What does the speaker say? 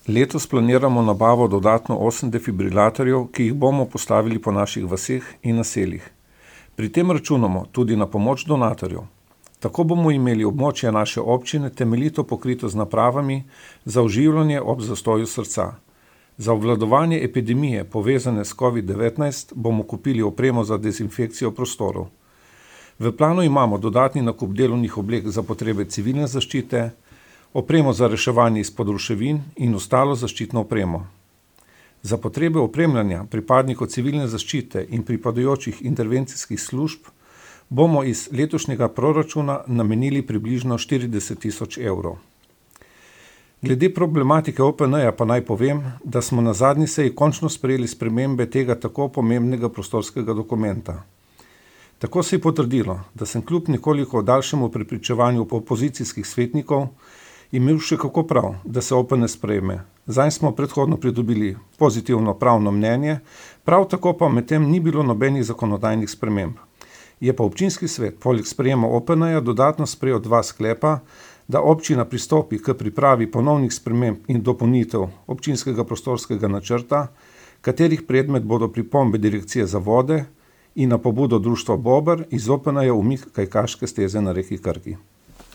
Letos planiramo nabavo dodatno 8 defibrilatorjev, ki jih bomo postavili po naših vaseh in naseljih. Pri tem računamo tudi na pomoč donatorjev. Tako bomo imeli območje naše občine temeljito pokrito z napravami za oživljanje ob zastoju srca. Za obvladovanje epidemije povezane s COVID-19 bomo kupili opremo za dezinfekcijo prostorov. V planu imamo dodatni nakup delovnih oblek za potrebe civilne zaščite, opremo za reševanje izpod ruševin in ostalo zaščitno opremo. Za potrebe opremljanja pripadnikov civilne zaščite in pripadajočih intervencijskih služb bomo iz letošnjega proračuna namenili približno 40 000 evrov. Glede problematike OPN-ja pa naj povem, da smo na zadnji seji končno sprejeli spremembe tega tako pomembnega prostorskega dokumenta. Tako se je potrdilo, da sem kljub nekoliko daljšemu prepričevanju opozicijskih svetnikov imel še kako prav, da se OPN sprejme. Zanj smo predhodno pridobili pozitivno pravno mnenje, prav tako pa medtem ni bilo nobenih zakonodajnih sprememb. Je pa občinski svet poleg sprejema OPN-ja dodatno sprejel 2 sklepa, da občina pristopi k pripravi ponovnih sprememb in dopolnitev občinskega prostorskega načrta, katerih predmet bodo pripombe Direkcije za vode in na pobudo društva Bober iz OPN-ja umik kajakaške steze na reki Krki.